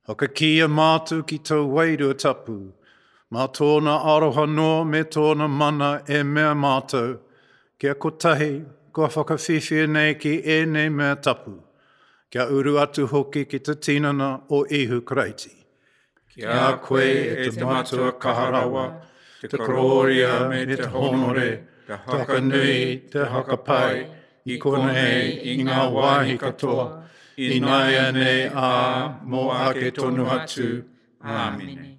Whakakīia mātou ki tōu Wairua Tapu, mā tōna aroha noa me tōna mana e mea mātou, kia kotahi, kua whakawhiwhia nei ki ēnei mea tapu, kia uru atu hoki ki te tinana o Ihu Karaiti. Ki a koe, e te Matua kaha rawa, te korōria me te hōnore, te haka nui, te haka pai, i konei, i ngā wāhi katoa, ināianei ā, mō ake tonu atu. Āmine.